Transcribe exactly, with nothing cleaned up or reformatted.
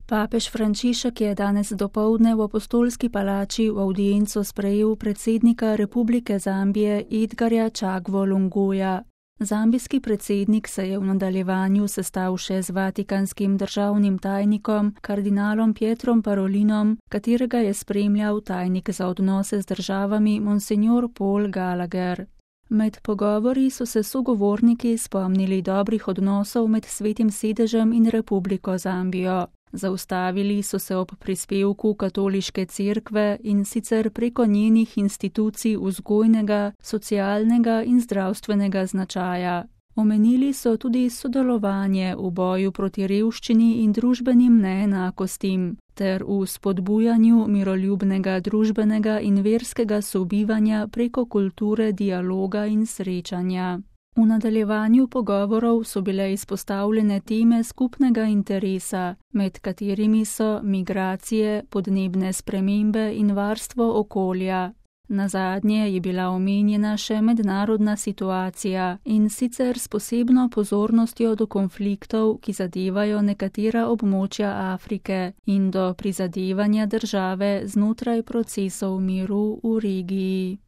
Papež Frančišek je danes dopoldne v Apostolski palači v avdienco sprejel predsednika Republike Zambije Edgarja Chagwo Lunguja. Zambijski predsednik se je v nadaljevanju sestal še z vatikanskim državnim tajnikom, kardinalom Pietrom Parolinom, katerega je spremljal tajnik za odnose z državami Monsignor Paul Gallagher. Med pogovori so se sogovorniki spomnili dobrih odnosov med Svetim sedežem in Republiko Zambijo. Zaustavili so se ob prispevku katoliške cerkve in sicer preko njenih institucij vzgojnega, socialnega in zdravstvenega značaja. Omenili so tudi sodelovanje v boju proti revščini in družbenim neenakostim ter v spodbujanju miroljubnega družbenega in verskega sobivanja preko kulture dialoga in srečanja. V nadaljevanju pogovorov so bile izpostavljene teme skupnega interesa, med katerimi so migracije, podnebne spremembe in varstvo okolja. Nazadnje je bila omenjena še mednarodna situacija in sicer s posebno pozornostjo do konfliktov, ki zadevajo nekatera območja Afrike in do prizadevanja države znotraj procesov miru v regiji.